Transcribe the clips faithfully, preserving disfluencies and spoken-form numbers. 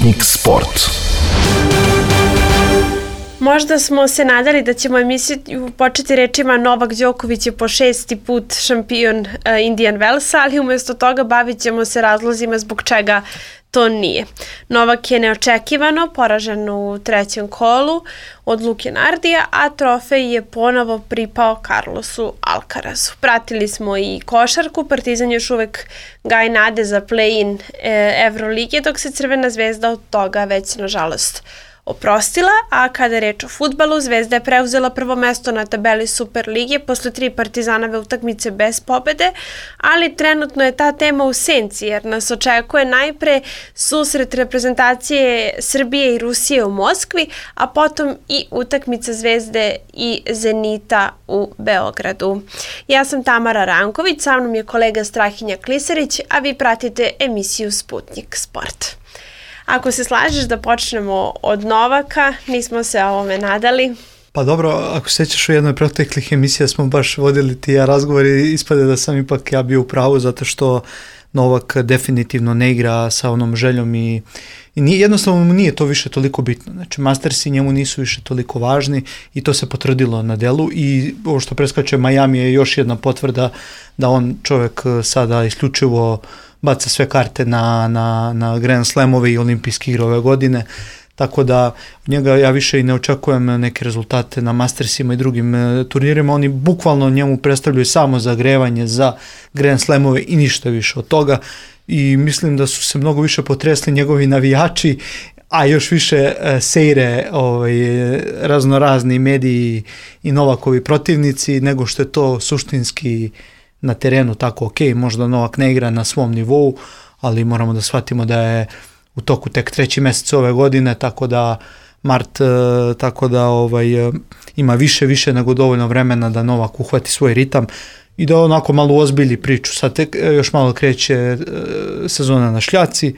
Sputnik Sport. Možda smo se nadali da ćemo emisiju početi rečima Novak Đoković je po šesti put šampion uh, Indian Wellsa, ali umjesto toga bavit ćemo se razlozima zbog čega to nije. Novak je neočekivano poražen u trećem kolu od Luke Nardija, a trofej je ponovo pripao Carlosu Alcarazu. Pratili smo i košarku, Partizan još uvek gaji nade za play-in e, Evrolige, dok se Crvena zvezda od toga već nažalost oprostila, a kada je reč o fudbalu, Zvezda je preuzela prvo mesto na tabeli Superlige posle tri Partizanove utakmice bez pobede, ali trenutno je ta tema u senci jer nas očekuje najpre susret reprezentacije Srbije i Rusije u Moskvi, a potom i utakmica Zvezde i Zenita u Beogradu. Ja sam Tamara Ranković, sa mnom je kolega Strahinja Klisarić, a vi pratite emisiju Sputnik Sport. Ako se slažeš da počnemo od Novaka, nismo se ovome nadali. Pa dobro, ako sećaš u jednoj proteklih emisija smo baš vodili ti ja razgovor i ispade da sam ipak ja bio u pravu zato što Novak definitivno ne igra sa onom željom i, i nije, jednostavno mu nije to više toliko bitno. Znači Mastersi njemu nisu više toliko važni i to se potvrdilo na delu i ovo što preskače Miami je još jedna potvrda da on čovjek sada isključivo baca sve karte na, na, na Grand Slamove i olimpijske igre ove godine, tako da njega ja više i ne očekujem neke rezultate na Mastersima i drugim e, turnirima, oni bukvalno njemu predstavljaju samo zagrevanje za Grand Slamove i ništa više od toga i mislim da su se mnogo više potresli njegovi navijači, a još više e, sejre ovaj, raznorazni mediji i Novakovi protivnici nego što je to suštinski na terenu tako ok, možda Novak ne igra na svom nivou, ali moramo da shvatimo da je u toku tek treći mjesec ove godine, tako da mart, tako da ovaj, ima više, više nego dovoljno vremena da Novak uhvati svoj ritam i da onako malo ozbilji priču. Sad tek još malo kreće sezona na šljaci,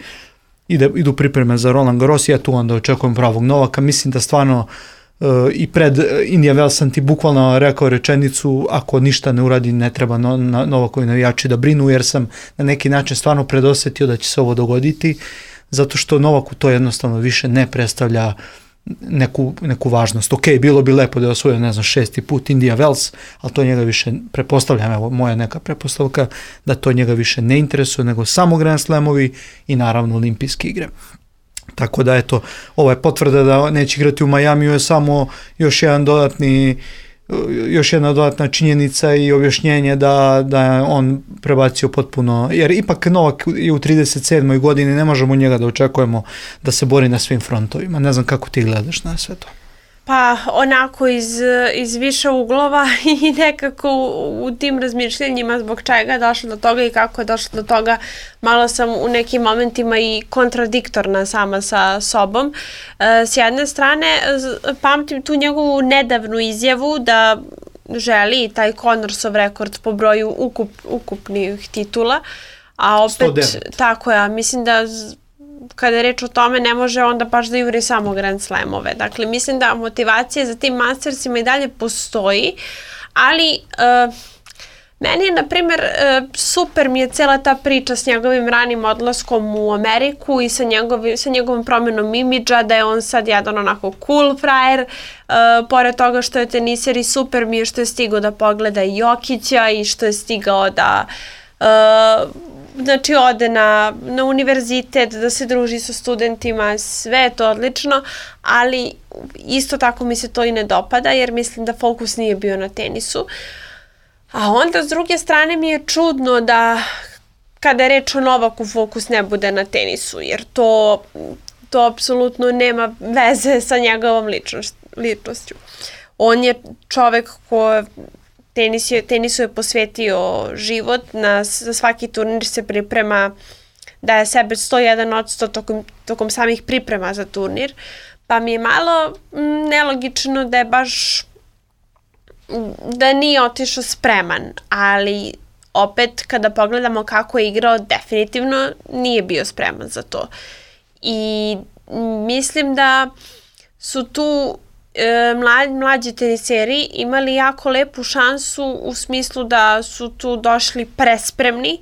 ide, idu pripreme za Roland Garros, ja tu onda očekujem pravog Novaka, mislim da stvarno Uh, i pred Indian Wells sam ti bukvalno rekao rečenicu ako ništa ne uradi ne treba no, na, Novakovi navijači da brinu jer sam na neki način stvarno predosetio da će se ovo dogoditi zato što Novaku to jednostavno više ne predstavlja neku, neku važnost. Ok, bilo bi lepo da je osvojio ne znam šesti put Indian Wells, ali to njega više prepostavljam, evo moja neka prepostavka da to njega više ne interesuje nego samo Grand Slamovi i naravno olimpijske igre. Tako da eto, ova je potvrda da neće igrati u Majamiju je samo još jedan dodatni, još jedna dodatna činjenica i objašnjenje da, da je on prebacio potpuno, jer ipak Novak je u trideset sedmoj godini, ne možemo njega da očekujemo da se bori na svim frontovima. Ne znam kako ti gledaš na sve to. Pa onako iz, iz više uglova i nekako u, u tim razmišljenjima zbog čega je došlo do toga i kako je došlo do toga, malo sam u nekim momentima i kontradiktorna sama sa sobom. E, s jedne strane, pamtim tu njegovu nedavnu izjavu da želi taj Connorsov rekord po broju ukup, ukupnih titula, a opet, sto devet. Tako ja, mislim da kada je reč o tome ne može onda baš da juri samo Grand Slamove. Dakle, mislim da motivacija za tim Mastersima i dalje postoji, ali uh, meni je, na primjer, uh, super mi je cela ta priča s njegovim ranim odlaskom u Ameriku i sa, njegovi, sa njegovom promjenom imidža, da je on sad jedan onako cool frajer, uh, pored toga što je teniser i super mi je što je stigao da pogleda i Jokića i što je stigao da uh, znači ode na, na univerzitet, da se druži sa studentima, sve je to odlično, ali isto tako mi se to i ne dopada jer mislim da fokus nije bio na tenisu. A onda s druge strane mi je čudno da kada je reč o Novaku fokus ne bude na tenisu jer to, to apsolutno nema veze sa njegovom ličnošću. On je čovek ko Tenis je, tenisu je posvetio život, na, za svaki turnir se priprema, daje sebe sto jedan odsto tokom, tokom samih priprema za turnir, pa mi je malo m, nelogično da je baš, da nije otišao spreman, ali opet kada pogledamo kako je igrao, definitivno nije bio spreman za to. I mislim da su tu Mlađi, mlađi teniseri imali jako lepu šansu u smislu da su tu došli prespremni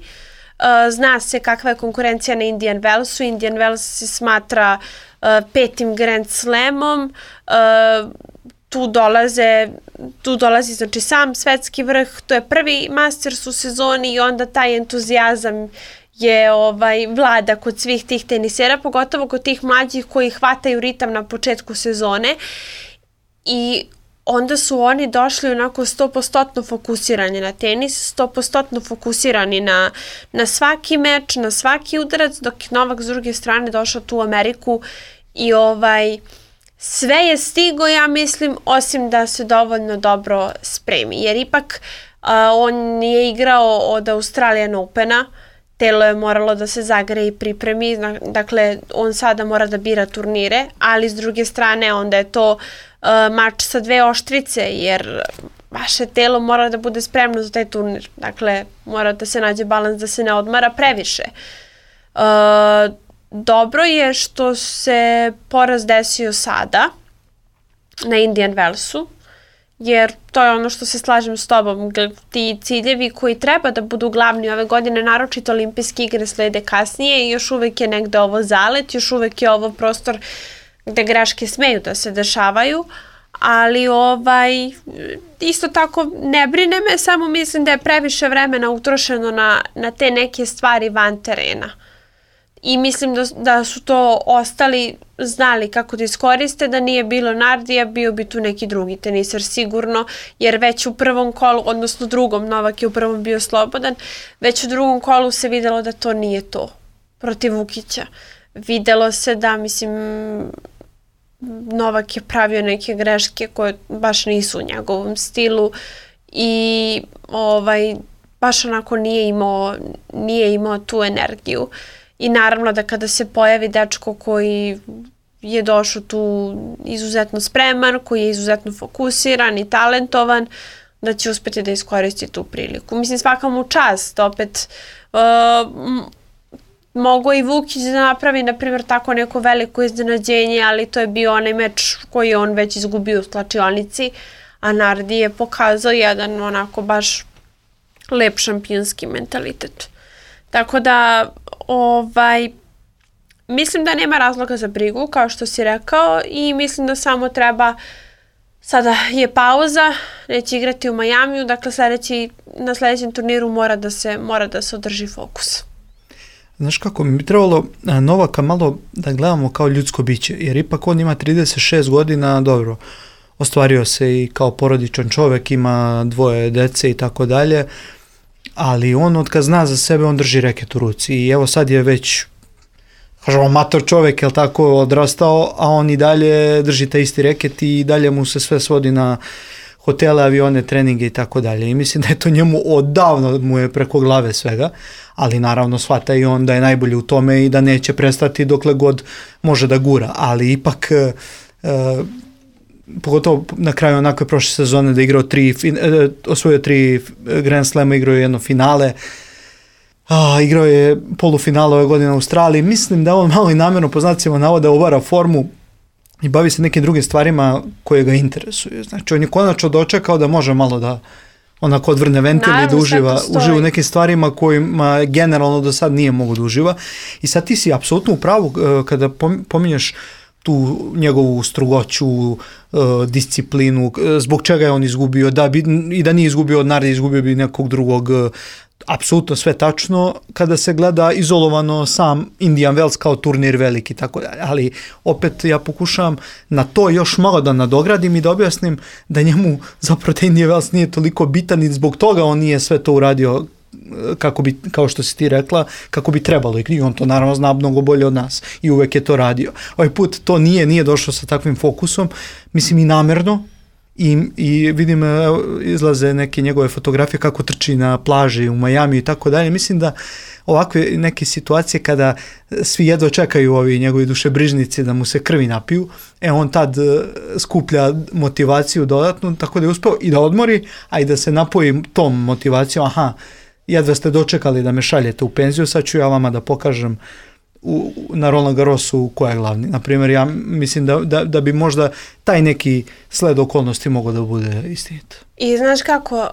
zna se kakva je konkurencija na Indian Wellsu. Indian Wells se smatra uh, petim Grand Slamom. Uh, tu dolaze, tu dolazi znači sam svetski vrh, to je prvi Masters u sezoni i onda taj entuzijazam je ovaj vlada kod svih tih tenisera, pogotovo kod tih mlađih koji hvataju ritam na početku sezone i onda su oni došli onako sto posto fokusirani na tenis, sto posto fokusirani na, na svaki meč, na svaki udarac, dok je Novak s druge strane došao tu u Ameriku i ovaj sve je stigo, ja mislim, osim da se dovoljno dobro spremi. Jer ipak uh, on je igrao od Australian Opena, telo je moralo da se zagreje i pripremi, dakle on sada mora da bira turnire, ali s druge strane onda je to uh, mač sa dve oštrice, jer vaše telo mora da bude spremno za taj turnir. Dakle, mora da se nađe balans da se ne odmara previše. Uh, Dobro je što se poraz desio sada na Indian Wellsu, jer to je ono što se slažem s tobom. Ti ciljevi koji treba da budu glavni ove godine, naročito olimpijske igre slede kasnije i još uvek je negde ovo zalet, još uvek je ovo prostor gde greške smeju da se dešavaju, ali ovaj, isto tako ne brine me, samo mislim da je previše vremena utrošeno na, na te neke stvari van terena. I mislim da, da su to ostali znali kako da iskoriste, da nije bilo Nardija, bio bi tu neki drugi teniser sigurno, jer već u prvom kolu, odnosno drugom, Novak je u prvom bio slobodan, već u drugom kolu se videlo da to nije to protiv Vukića. Videlo se da, mislim, Novak je pravio neke greške koje baš nisu u njegovom stilu i ovaj, baš onako nije imao, nije imao tu energiju. I naravno da kada se pojavi dečko koji je došao tu izuzetno spreman, koji je izuzetno fokusiran i talentovan, da će uspjeti da iskoristi tu priliku. Mislim, svaka mu čast, opet uh, mogo i Vukić da napravi, na primjer, tako neko veliko iznenađenje, ali to je bio onaj meč koji je on već izgubio u slačionici, a Nardi je pokazao jedan onako baš lep šampionski mentalitet. Tako da, ovaj, mislim da nema razloga za brigu, kao što si rekao, i mislim da samo treba, sada je pauza, neće igrati u Majamiju, dakle sljedeći, na sljedećem turniru mora da se, mora da se održi fokus. Znaš kako, mi bi trebalo Novaka malo da gledamo kao ljudsko biće, jer ipak on ima trideset šest godina, dobro, ostvario se i kao porodičan čovjek, ima dvoje dece i tako dalje, ali on od kad zna za sebe, on drži reket u ruci i evo sad je već, kažemo, mator čovjek, jel tako, odrastao, a on i dalje drži taj isti reket i dalje mu se sve svodi na hotele, avione, treninge i tako dalje. I mislim da je to njemu odavno mu je preko glave svega, ali naravno shvata i on da je najbolji u tome i da neće prestati dokle god može da gura, ali ipak e, pogotovo na kraju onakve prošle sezone da je igrao tri, osvojio tri Grand Slama, igrao je jedno finale, a, igrao je polufinale ove godine u Australiji. Mislim da on malo i namjerno po znacima navoda obara formu i bavi se nekim drugim stvarima koje ga interesuju. Znači on je konačno dočekao da može malo da onako odvrne ventil i da uživa, uživa u nekim stvarima kojima generalno do sad nije mogu da uživa. I sad ti si apsolutno u pravu kada pominješ tu njegovu strogoću, disciplinu, zbog čega je on izgubio, da bi, i da nije izgubio od Nardi, izgubio bi nekog drugog, apsolutno sve tačno kada se gleda izolovano sam Indian Wells kao turnir veliki, tako dalje. Ali opet ja pokušavam na to još malo da nadogradim i da objasnim da njemu zapravo taj Indian Wells nije toliko bitan i zbog toga on nije sve to uradio kako bi, kao što si ti rekla, kako bi trebalo, i on to naravno zna mnogo bolje od nas i uvek je to radio. Ovaj put to nije, nije došlo sa takvim fokusom, mislim i namerno, i, i vidim izlaze neke njegove fotografije kako trči na plaži u Majamiju i tako dalje. Mislim da ovakve neke situacije kada svi jedva čekaju ovi njegovi dušebrižnici da mu se krvi napiju, e on tad skuplja motivaciju dodatnu, tako da je uspeo i da odmori, a i da se napoji tom motivacijom, aha, jedva ste dočekali da me šaljete u penziju, sad ću ja vama da pokažem u, na Roland Garrosu ko je glavni. Naprimjer, ja mislim da, da, da bi možda taj neki sled okolnosti mogao da bude istinit. I znaš kako, uh,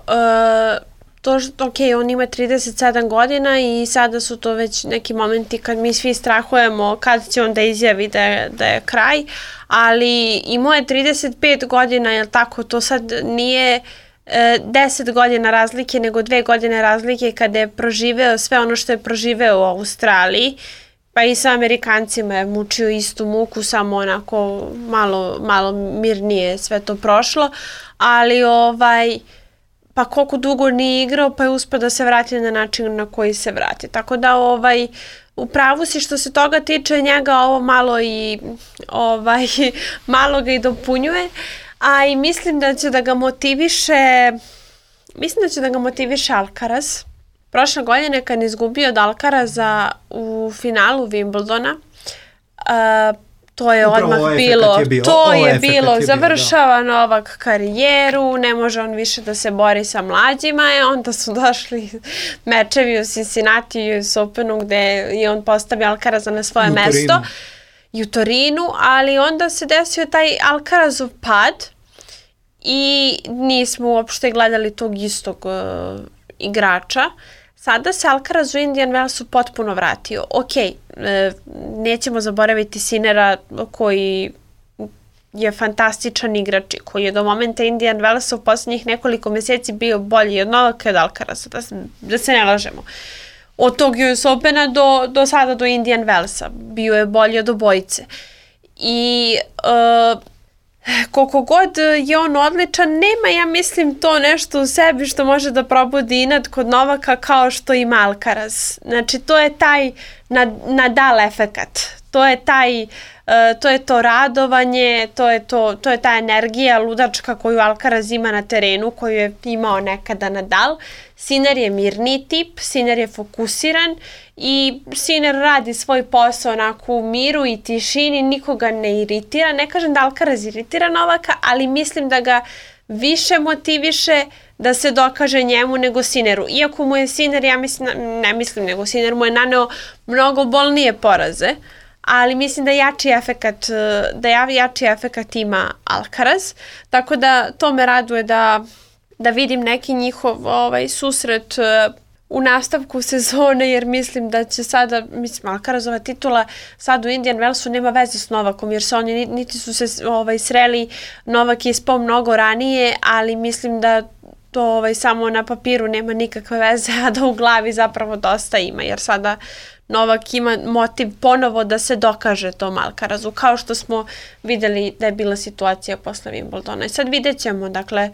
to, ok, on ima trideset sedam godina i sada su to već neki momenti kad mi svi strahujemo kad će on da izjavi da je, da je kraj, ali imao je trideset pet godina, jel tako, to sad nije e, deset godina razlike, nego dve godine razlike kada je proživeo sve ono što je proživeo u Australiji, pa i sa Amerikancima je mučio istu muku, samo onako malo, malo mirnije sve to prošlo, ali ovaj... pa koliko dugo nije igrao, pa je uspio da se vrati na način na koji se vrati. Tako da ovaj, u pravu si što se toga tiče, njega ovo malo i ovaj, malo ga i dopunjuje, a i mislim da će da ga motiviše, mislim da će da ga motiviše Alcaraz. Prošle godine kad je izgubio od Alcaraza u finalu Wimbledona, uh, to je upravo odmah bilo, je bio, to je bilo, je završava bio, Novak karijeru, ne može on više da se bori sa mlađima, i onda su došli mečevi u Cincinnati i U S Openu gde je on postavio Alcaraza na svoje mesto i u Torinu, ali onda se desio taj Alcarazov pad i nismo uopšte gledali tog istog uh, igrača. Sada se Alcaraz u Indian Wellsu potpuno vratio. Ok, e, nećemo zaboraviti Sinnera koji je fantastičan igrač, koji je do momenta Indian Wellsa u posljednjih nekoliko mjeseci bio bolji od Novaka i od Alcaraza, da, da se ne lažemo. Od tog U S Opena do, do sada do Indian Wellsa bio je bolji od obojice. I e, koliko god je on odličan, nema, ja mislim, to nešto u sebi što može da probudi inat kod Novaka kao što ima Alcaraz. Znači, to je taj Nadal efekat. To je taj, uh, to je to radovanje, to je, to, to je ta energija ludačka koju Alcaraz ima na terenu, koju je imao nekada Nadal. Sinner je mirni tip, Sinner je fokusiran i Sinner radi svoj posao onako u miru i tišini, nikoga ne iritira. Ne kažem da Alcaraz iritira Novaka, ali mislim da ga više motiviše da se dokaže njemu nego Sinneru. Iako mu je Sinner, ja mislim, ne mislim nego Sinner mu je naneo mnogo bolnije poraze, ali mislim da jači efekat, da jači efekat ima Alcaraz, tako da to me raduje da, da vidim neki njihov ovaj, susret u nastavku sezone, jer mislim da će sada, mislim, Alcarazova titula sad u Indian Wellsu nema veze s Novakom, jer se oni niti su se ovaj, sreli, Novak je ispao mnogo ranije, ali mislim da to ovaj, samo na papiru nema nikakve veze, a da u glavi zapravo dosta ima, jer sada Novak ima motiv ponovo da se dokaže tom Alcarazu, kao što smo videli da je bila situacija posle Wimbledona. I sad vidjet ćemo, dakle,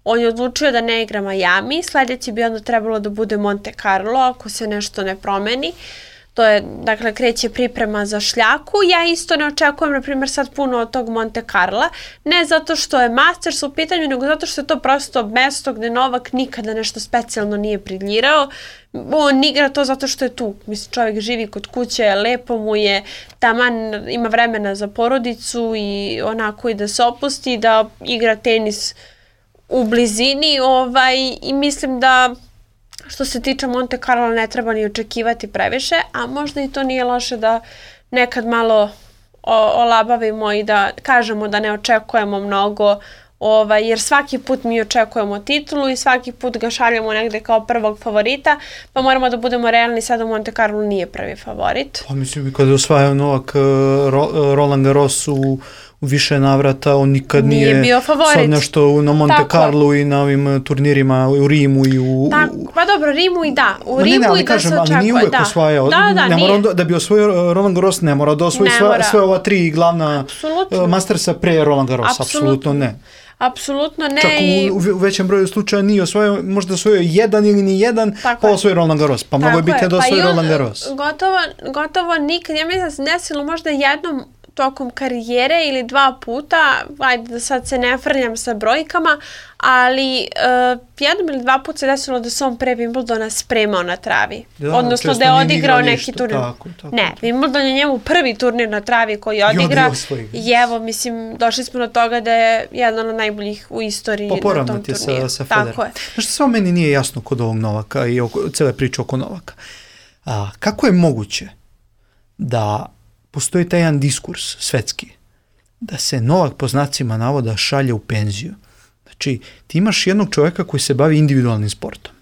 on je odlučio da ne igra Miami, sljedeći bi onda trebalo da bude Monte Carlo, ako se nešto ne promeni. To je, dakle, kreće priprema za šljaku. Ja isto ne očekujem, na primjer, sad puno od tog Monte Carla, ne zato što je Masters u pitanju, nego zato što je to prosto mesto gde Novak nikada nešto specijalno nije briljirao. On igra to zato što je tu. Mislim, čovjek živi kod kuće, lepo mu je, taman ima vremena za porodicu i onako i da se opusti, da igra tenis u blizini, ovaj, i mislim da što se tiče Monte Carlo ne treba ni očekivati previše, a možda i to nije loše da nekad malo o, olabavimo i da kažemo da ne očekujemo mnogo, ovaj, jer svaki put mi očekujemo titulu i svaki put ga šaljemo negde kao prvog favorita, pa moramo da budemo realni, sada Monte Carlo nije prvi favorit. Pa mislim, kada je osvajao Novak Ro, Roland Garros u u više navrata, on nikad nije, nije bio favorit. Sad nešto na Monte Tako. Carlo i na ovim turnirima u Rimu i u... Tako, pa dobro, Rimu i da. U Ma Rimu ne, ne, ali i da kažem, se očekuje. Ali nije uvek da. osvajao. Da, da, ne nije. mora on, da bi osvojio Roland Garros, ne mora da osvoji sve, sve ova tri glavna Apsolutno. Mastersa pre Roland Garros. Apsolutno ne. Apsolutno ne. Čak i... u, u većem broju slučaja nije osvojio, možda osvojio jedan ili ni jedan, Tako pa je. osvojio Roland Garros. Pa mnogo je bitnije da osvoji pa Roland Garros. Gotovo, gotovo nikad, ja mislim da se desilo možda jednom tokom karijere ili dva puta, ajde da sad se ne frljam sa brojkama, ali uh, jednom ili dva puta se desilo da se on pre Wimbledona spremao na travi. Da, odnosno da je odigrao neki ništa, turnir. Tako, tako, ne, tako. Wimbledon je njemu prvi turnir na travi koji odigra. I, I evo, mislim, došli smo do toga da je jedan od najboljih u istoriji pa, na tom turniju. Sa, sa Federer. Tako je. Znaš što samo meni nije jasno kod ovog Novaka i oko, cele priče oko Novaka. A, kako je moguće da postoji taj jedan diskurs svetski, da se Novak po znacima navoda šalje u penziju. Znači, ti imaš jednog čovjeka koji se bavi individualnim sportom.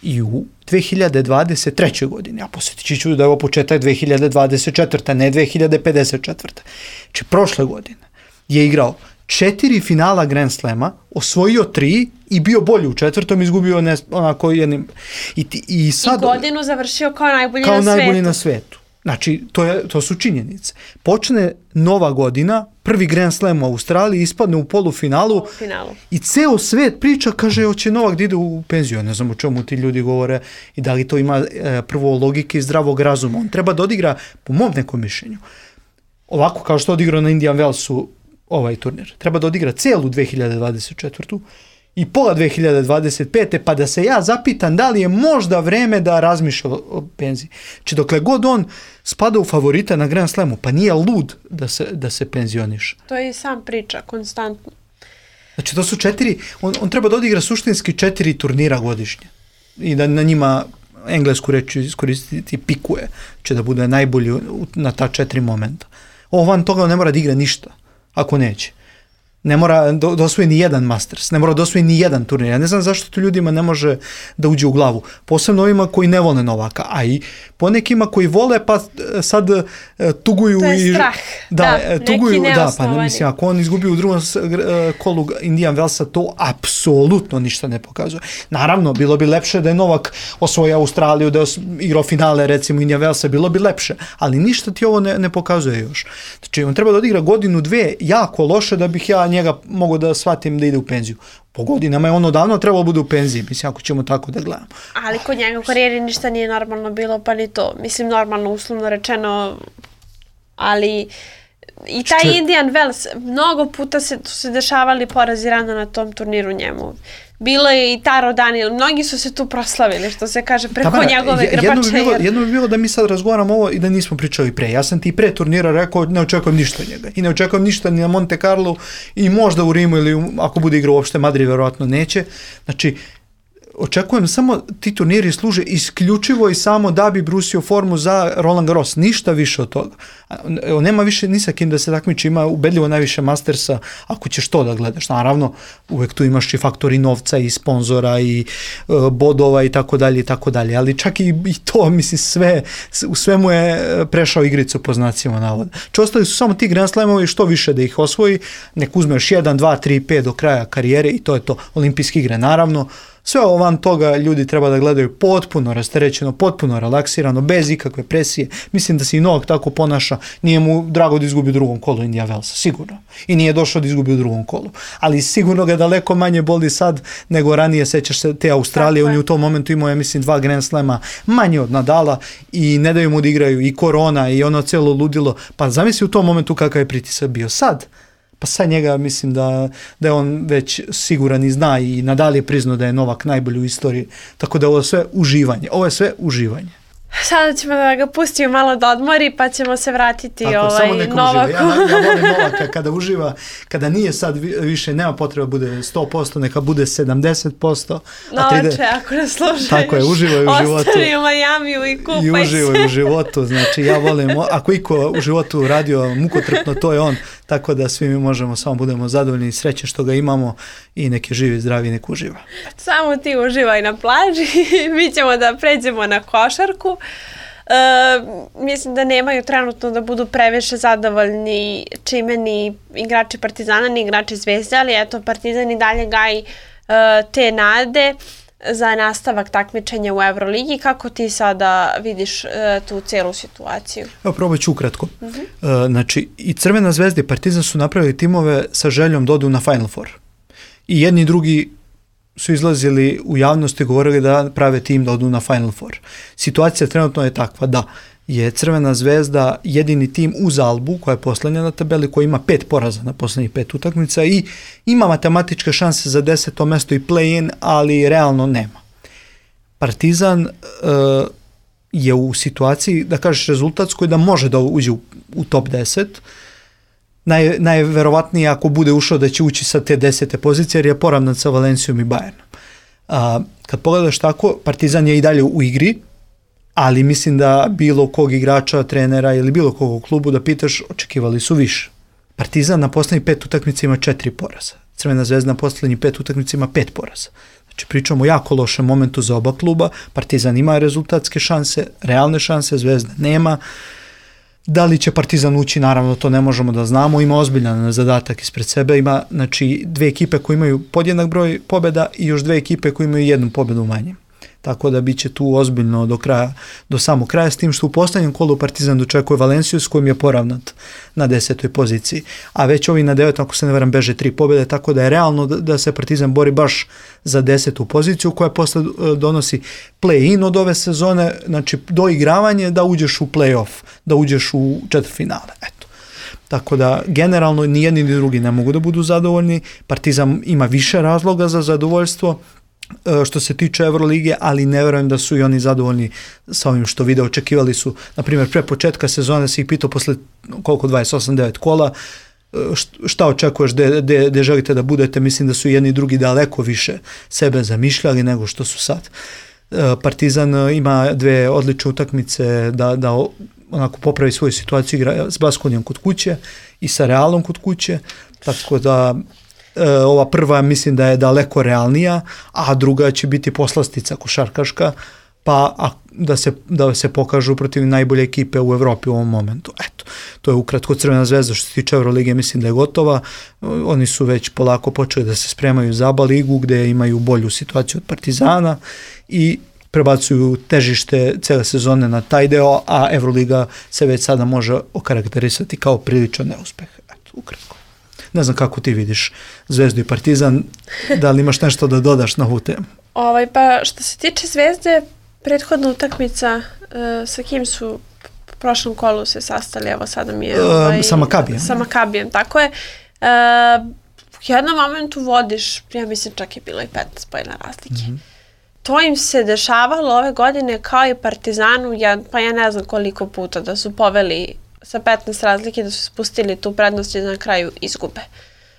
i u dve hiljade dvadeset treće. godine, a posjetit ću da je ovo početak dve hiljade dvadeset četvrte. ne dve hiljade pedeset četvrte. Znači, prošle godine je igrao četiri finala Grand Slema, osvojio tri i bio bolji u četvrtom, izgubio ne, onako jednim. I, ti, i, sad, I godinu završio kao najbolji kao na svetu. najbolji na svetu. Znači, to, je, to su činjenice. Počne nova godina, prvi Grand Slam u Australiji, ispadne u polufinalu, finalu. I ceo svet priča, kaže, hoće Novak da ide u penziju. Ne znam o čemu ti ljudi govore i da li to ima e, prvo logike i zdravog razuma. On treba da odigra, po mom nekom mišljenju, ovako kao što odigrao na Indian Wellsu ovaj turnir. Treba da odigra celu dve hiljade dvadeset četvrtu. i pola dve hiljade dvadeset pete. pa da se ja zapitam da li je možda vreme da razmišlja o penziji. Znači dokle god on spada u favorita na Grand Slamu, pa nije lud da se, da se penzioniše. To je i sam priča, konstantno. Znači to su četiri, on, on treba da odigra suštinski četiri turnira godišnje i da na njima englesku reč iskoristiti pikuje, će da bude najbolji na ta četiri momenta. Ovo van toga ne mora da igra ništa, ako neće. Ne mora da osvoji ni jedan Masters, ne mora da osvoji ni jedan turnir. Ja ne znam zašto to ljudima ne može da uđe u glavu. Posebno ovima koji ne vole Novaka, a i ponekima koji vole pa sad tuguju. To je i strah. Da, da tuguju, neki da, pa mislim, ako on izgubi u drugom kolu Indian Wellsa, to apsolutno ništa ne pokazuje. Naravno, bilo bi lepše da je Novak osvojio Australiju, da je igrao finale, recimo Indian Wellsa, bilo bi lepše, ali ništa ti ovo ne, ne pokazuje još. Znači, on treba da odigra godinu, dve, jako loše da bih ja njega mogu da shvatim da ide u penziju. Po godinama je ono davno trebalo bude u penziji, mislim, ako ćemo tako da gledamo. Ali kod njega u karijeri ništa nije normalno bilo, pa ni to. Mislim, normalno, uslovno rečeno, ali i taj Šče... Indian Wells, mnogo puta se, se dešavali porazi rano na tom turniru njemu. Bilo je i Taro Daniel, mnogi su se tu proslavili, što se kaže, preko Tabana, njegove grbače. Jedno bi, bilo, jedno bi bilo da mi sad razgovaramo ovo i da nismo pričali pre. Ja sam ti pre turnira rekao, ne očekujem ništa od njega. I ne očekujem ništa ni na Monte Carlo i možda u Rimu ili ako bude igrao uopšte Madrid, verovatno neće. Znači, očekujem samo ti turniri služe isključivo i samo da bi brusio formu za Roland Garros, ništa više od toga. On nema više ni sa kim da se takmiči, ima ubedljivo najviše Mastersa, ako ćeš to da gledaš. Naravno, uvek tu imaš i faktori novca i sponzora i uh, bodova i tako dalje i tako dalje, ali čak i, i to, mislim, sve, u svemu je prešao igricu po znacima navoda. Če ostali su samo ti Grand Slamovi, što više da ih osvoji, nek uzme još jedan, dva, tri, pet do kraja karijere i to je to. Olimpijske igre, naravno. Sve ovo van toga ljudi treba da gledaju potpuno rasterećeno, potpuno relaksirano, bez ikakve presije. Mislim da se i Novak tako ponaša. Nije mu drago da izgubi u drugom kolu Indian Wellsa, sigurno. I nije došao da izgubi u drugom kolu. Ali sigurno ga daleko manje boli sad nego ranije, sećaš se te Australije. Tako on je u tom momentu imao, ja mislim, dva Grand Slema manje od Nadala i ne daju mu da igraju i korona i ono celo ludilo. Pa zamisli u tom momentu kakav je pritisak bio. Sad, pa sad njega mislim da, da je on već siguran i zna i Nadal je priznao da je Novak najbolji u istoriji, tako da ovo je sve uživanje, ovo je sve uživanje. Sada ćemo da ga pustimo malo da odmori, pa ćemo se vratiti tako, ovaj, Novaku. Ja, ja volim Novaka kada uživa, kada nije sad više, nema potreba bude sto posto, neka bude sedamdeset posto. Novače, ako nas slušaš, tako je, uživaj u životu. Ostani u Majamiju i kupaj I uživaj se. u životu, znači ja volim, ako iko u životu radio mukotrpno, to je on, tako da svi mi možemo, samo budemo zadovoljni i sreće što ga imamo i neki živi, zdravi, nek uživa. Samo ti uživaj na plaži, mi ćemo da pređemo na košarku. E, mislim da nemaju trenutno da budu previše zadovoljni čime ni igrači Partizana, ni igrači Zvezde, ali eto, Partizan i dalje gaji e, te nade za nastavak takmičenja u Euroligi. Kako ti sada vidiš e, tu celu situaciju? Evo, probat ću ukratko. Uh-huh. E, znači, i Crvena Zvezda i Partizan su napravili timove sa željom da odu na Final Four. I jedni i drugi su izlazili u javnost i govorili da prave tim da odu na Final Four. Situacija trenutno je takva da je Crvena Zvezda jedini tim uz Albu, koja je poslednja na tabeli, koja ima pet poraza na poslednjih pet utakmica i ima matematičke šanse za deseto mesto i play-in, ali realno nema. Partizan uh, je u situaciji, da kažeš rezultatskoj, da može da uđe u, u top deset. Naj, najverovatnije ako bude ušao da će ući sa te desete pozicije, jer je poravnat sa Valencijom i Bayernom. A, kad pogledaš tako, Partizan je i dalje u igri, ali mislim da bilo kog igrača, trenera ili bilo kog u klubu da pitaš, očekivali su više. Partizan na poslednjih pet utakmica ima četiri poraza. Crvena Zvezda na poslednjih pet utakmica ima pet poraza. Znači pričamo o jako lošem momentu za oba kluba, Partizan ima rezultatske šanse, realne šanse, Zvezda nema. Da li će Partizan ući, naravno to ne možemo da znamo, ima ozbiljan zadatak ispred sebe, ima znači dve ekipe koje imaju podjednak broj pobjeda i još dve ekipe koje imaju jednu pobjedu manje. Tako da bit će tu ozbiljno do kraja, do samog kraja, s tim što u posljednjem kolu Partizan dočekuje Valenciju s kojim je poravnat na desetoj poziciji. A već ovi na devetom, ako se ne varam, beže tri pobjede, tako da je realno da, da se Partizan bori baš za desetu poziciju koja posle donosi play-in od ove sezone, znači doigravanje da uđeš u play-off, da uđeš u četvrtfinale. Eto. Tako da generalno ni jedni ni drugi ne mogu da budu zadovoljni. Partizan ima više razloga za zadovoljstvo što se tiče Evrolige, ali ne verujem da su i oni zadovoljni sa ovim što vide. Očekivali su, na primjer, pre početka sezone se ih pitao posle koliko dvadeset osam devet kola, šta očekuješ, gde želite da budete. Mislim da su jedni i drugi daleko više sebe zamišljali nego što su sad. Partizan ima dve odlične utakmice da, da onako popravi svoju situaciju, igra s Baskonijom kod kuće i sa Realom kod kuće, tako da ova prva mislim da je daleko realnija, a druga će biti poslastica košarkaška, pa a, da, se, da se pokažu protiv najbolje ekipe u Evropi u ovom momentu. Eto, to je ukratko Crvena zvezda što se tiče Evrolige, mislim da je gotova. Oni su već polako počeli da se spremaju za A B A ligu gde imaju bolju situaciju od Partizana i prebacuju težište cele sezone na taj deo, a Evroliga se već sada može okarakterisati kao priličan neuspeh. Eto, ukratko. Ne znam kako ti vidiš Zvezdu i Partizan, da li imaš nešto da dodaš na ovu temu? Ovaj, pa što se tiče Zvezde, prethodna utakmica, uh, sa kim su u prošlom kolu se sastali, evo sada mi je... Ovaj, sa Makabijem. Sa Makabijem, tako je. Uh, u jednom momentu vodiš, ja mislim čak je bilo i petnaest pojena razlike. Mm-hmm. To im se dešavalo ove godine kao i Partizanu, ja, pa ja ne znam koliko puta da su poveli sa petnaest razlike, da su spustili tu prednost i na kraju izgube.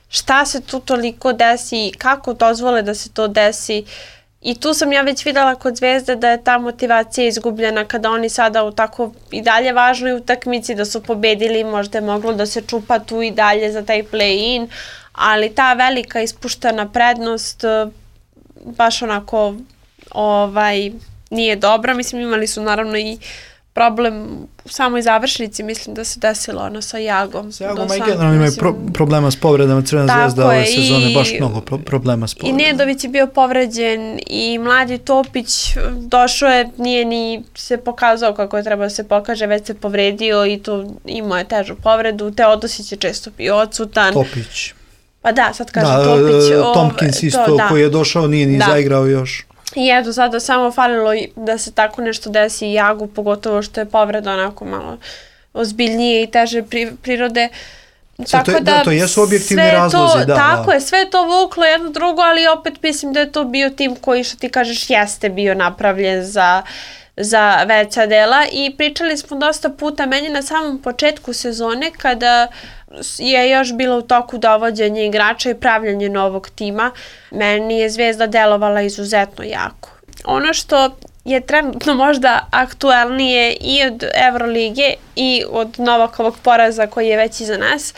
Šta se tu toliko desi, kako dozvole da se to desi? I tu sam ja već videla kod Zvezde da je ta motivacija izgubljena kada oni sada u tako i dalje važnoj utakmici da su pobedili, možda je moglo da se čupa tu i dalje za taj play-in, ali ta velika ispuštena prednost baš onako ovaj, nije dobra. Mislim, imali su naravno i problem u samoj završnici, mislim da se desilo ono sa Jagom. Sa Jagom, a i generalno imaju pro, problema s povredama. Crvena zvezda ove sezone, baš mnogo pro, problema s povredama. I Nedović je bio povređen i mladi Topić došao je, nije ni se pokazao kako je trebao da se pokaže, već se povredio i to imao je težu povredu. Teodosić je često bio odsutan. Topić. Pa da, sad kaže da, Topić. O, Tompkins isto to, da. Koji je došao, nije ni da. zaigrao još. I eto, sada samo falilo da se tako nešto desi i Jagu, pogotovo što je povreda onako malo ozbiljnije i teže pri, prirode. Tako to, da, da, to jesu objektivni razlozi. To, da, tako da. je, sve to vuklo jedno drugo, ali opet mislim da je to bio tim koji, što ti kažeš, jeste bio napravljen za, za veća dela. I pričali smo dosta puta, meni na samom početku sezone, kada je još bilo u toku dovođenje igrača i pravljanje novog tima, meni je Zvezda delovala izuzetno jako. Ono što je trenutno možda aktuelnije i od Evrolige i od Novakovog poraza koji je već iza nas,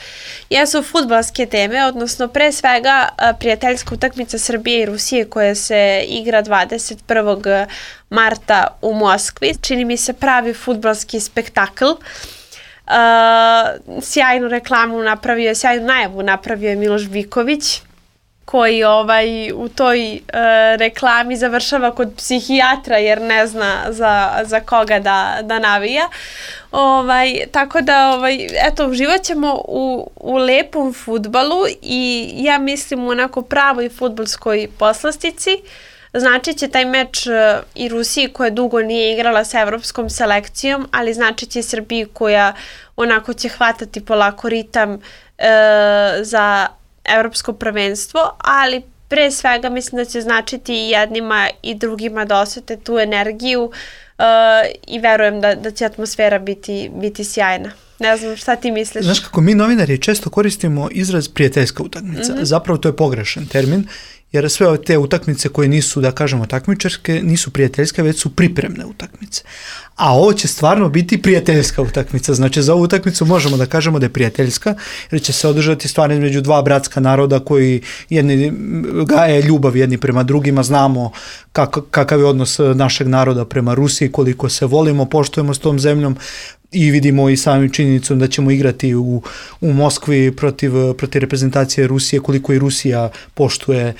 jesu fudbalske teme, odnosno pre svega prijateljska utakmica Srbije i Rusije koja se igra dvadeset prvog marta u Moskvi. Čini mi se pravi fudbalski spektakl. Uh, sjajnu reklamu napravio, sjajnu najavu napravio je Miloš Viković, koji ovaj, u toj uh, reklami završava kod psihijatra jer ne zna za, za koga da, da navija. Ovaj, tako da, ovaj, eto, uživat ćemo u, u lepom fudbalu i ja mislim u onako pravoj fudbalskoj poslastici. Znači će taj meč uh, i Rusiji koja dugo nije igrala sa evropskom selekcijom, ali znači će i Srbiji koja onako će hvatati polako ritam uh, za evropsko prvenstvo, ali pre svega mislim da će značiti i jednima i drugima da osete tu energiju uh, i verujem da, da će atmosfera biti, biti sjajna. Ne znam šta ti misliš. Znaš kako mi novinari često koristimo izraz prijateljska utakmica. Mm-hmm. Zapravo to je pogrešan termin jer sve ove te utakmice koje nisu, da kažemo, takmičarske, nisu prijateljske, već su pripremne utakmice. A ovo će stvarno biti prijateljska utakmica. Znači, za ovu utakmicu možemo da kažemo da je prijateljska, jer će se održati stvarno između dva bratska naroda koji jedni gaje ljubav jedni prema drugima. Znamo kak, kakav je odnos našeg naroda prema Rusiji, koliko se volimo, poštujemo s tom zemljom i vidimo i samim činjenicom da ćemo igrati u, u Moskvi protiv, protiv reprezentacije Rusije, koliko i Rusija poštuje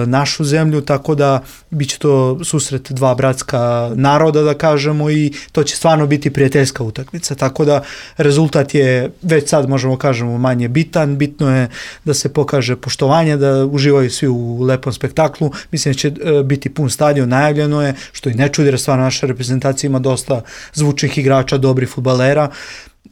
našu zemlju, tako da bit će to susret dva bratska naroda, da kažemo, i to će stvarno biti prijateljska utakmica, tako da rezultat je, već sad možemo kažemo, manje bitan, bitno je da se pokaže poštovanje, da uživaju svi u lepom spektaklu, mislim da će biti pun stadion, najavljeno je, što i ne čudi, jer stvarno naša reprezentacija ima dosta zvučnih igrača, dobrih fudbalera.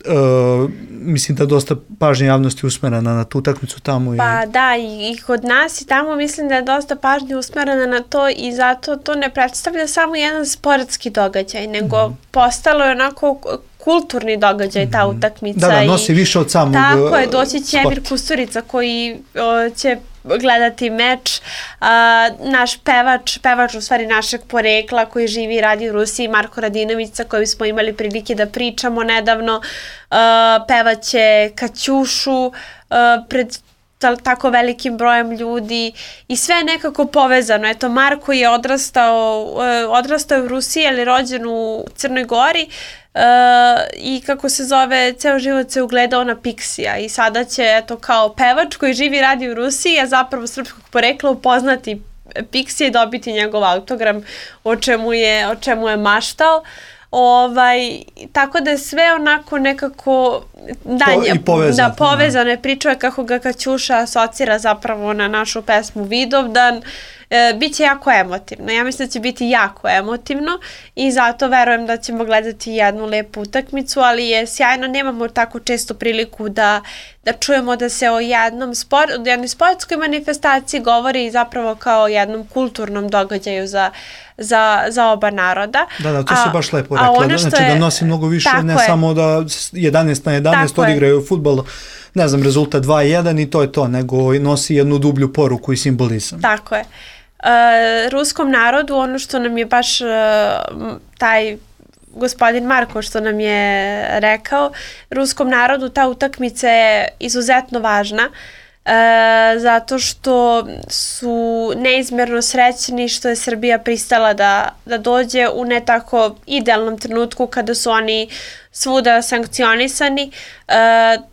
Uh, mislim da dosta pažnje javnosti usmerena na tu utakmicu tamo. I... Pa da, i, i kod nas i tamo mislim da je dosta pažnje usmerena na to i zato to ne predstavlja samo jedan sportski događaj, nego mm. postalo je onako kulturni događaj ta utakmica. Da, da, nosi i, više od samog tako je, doći će Emir Kusturica koji o, će gledati meč, uh, naš pevač, pevač u stvari našeg porekla koji živi i radi u Rusiji, Marko Radinović, sa kojim smo imali prilike da pričamo nedavno, uh, pevaće Kaćušu uh, pred tako velikim brojem ljudi i sve je nekako povezano. Eto, Marko je odrastao, uh, odrastao u Rusiji, ali rođen u Crnoj Gori, Uh, i kako se zove, ceo život se ugledao na Pixija i sada će, eto, kao pevač koji živi i radi u Rusiji, a zapravo srpskog porekla, upoznati Pixija i dobiti njegov autogram, o čemu je, o čemu je maštao. Ovaj, tako da je sve onako nekako danje, i povezano, da, povezane pričuje kako ga Kaćuša asocira zapravo na našu pesmu Vidovdan. E, biće jako emotivno. Ja mislim da će biti jako emotivno i zato verujem da ćemo gledati jednu lepu utakmicu, ali je sjajno, nemamo tako često priliku da, da čujemo da se o jednom sport, o jednoj sportskoj manifestaciji govori zapravo kao o jednom kulturnom događaju za, za, za oba naroda. Da, da, to a, se baš lepo rekla. Znači je, da nosi mnogo više, ne je. Samo da jedanaest na jedanaest odigraju fudbal, ne znam, rezultat dva jedan i to je to, nego nosi jednu dublju poruku i simbolizam. Tako je. Uh, ruskom narodu, ono što nam je baš uh, taj gospodin Marko što nam je rekao, ruskom narodu ta utakmica je izuzetno važna uh, zato što su neizmjerno srećni što je Srbija pristala da, da dođe u ne tako idealnom trenutku kada su oni svuda sankcionisani, uh,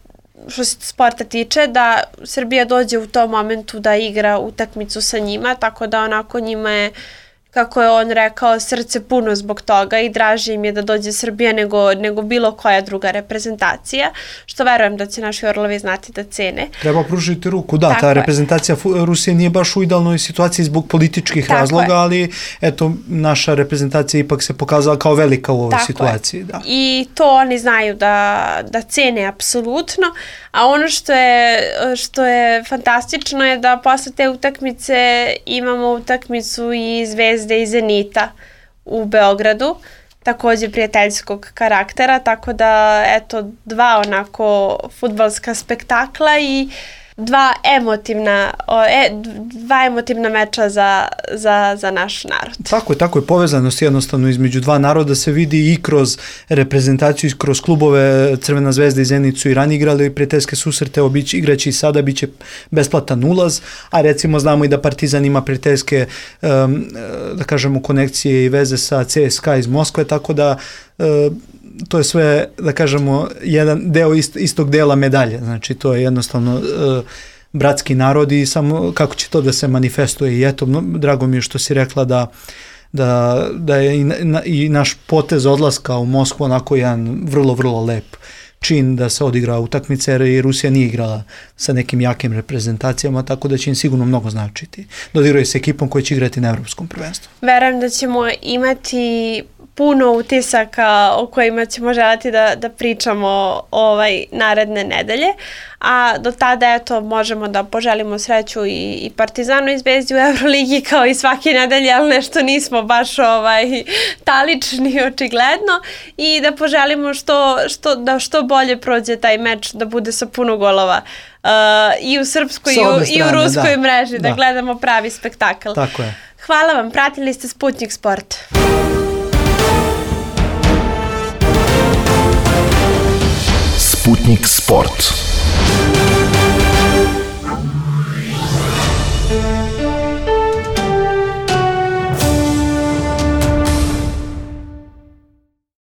što se sporta tiče, da Srbija dođe u tom momentu da igra utakmicu sa njima, tako da onako njima je, kako je on rekao, srce puno zbog toga i draže im je da dođe Srbija nego, nego bilo koja druga reprezentacija, što verujem da će naši orlovi znati da cene. Treba pružiti ruku, da, tako ta je. Reprezentacija Rusije nije baš u idealnoj situaciji zbog političkih tako razloga, je. Ali eto, naša reprezentacija ipak se pokazala kao velika u ovoj tako situaciji. Da. I to oni znaju da, da cene apsolutno, a ono što je, što je fantastično je da posle te utakmice imamo utakmicu i Zvezde i Zenita u Beogradu, takođe prijateljskog karaktera, tako da eto dva onako fudbalska spektakla i dva emotivna, e, dva emotivna meča za, za, za naš narod. Tako je, tako je, povezanost jednostavno između dva naroda se vidi i kroz reprezentaciju, i kroz klubove. Crvena zvezda i Zenit su i ranije igrali prijateljske susrete, obić, igraći i sada biće besplatan ulaz, a recimo znamo i da Partizan ima prijateljske, um, da kažemo, konekcije i veze sa C S K A iz Moskve, tako da um, to je sve, da kažemo, jedan deo ist, istog dela medalje. Znači, to je jednostavno uh, bratski narod i samo kako će to da se manifestuje. I eto, drago mi je što si rekla da, da, da je i, na, i naš potez odlaska u Moskvu onako jedan vrlo, vrlo lep čin da se odigra utakmica, jer i Rusija nije igrala sa nekim jakim reprezentacijama, tako da će im sigurno mnogo značiti. Dodigraju se ekipom koja će igrati na evropskom prvenstvu. Verujem da ćemo imati puno utisaka o kojima ćemo želiti da, da pričamo ovaj naredne nedelje, a do tada eto možemo da poželimo sreću i, i Partizanu i Zvezdi u Euroligi kao i svake nedelje, ali nešto nismo baš ovaj talični očigledno, i da poželimo što, što, da što bolje prođe taj meč, da bude sa puno golova uh, i u srpskoj i u, strane, i u ruskoj da. mreži, da, da gledamo pravi spektakl. Tako je. Hvala vam, pratili ste Sputnik Sport. Sputnik Sport.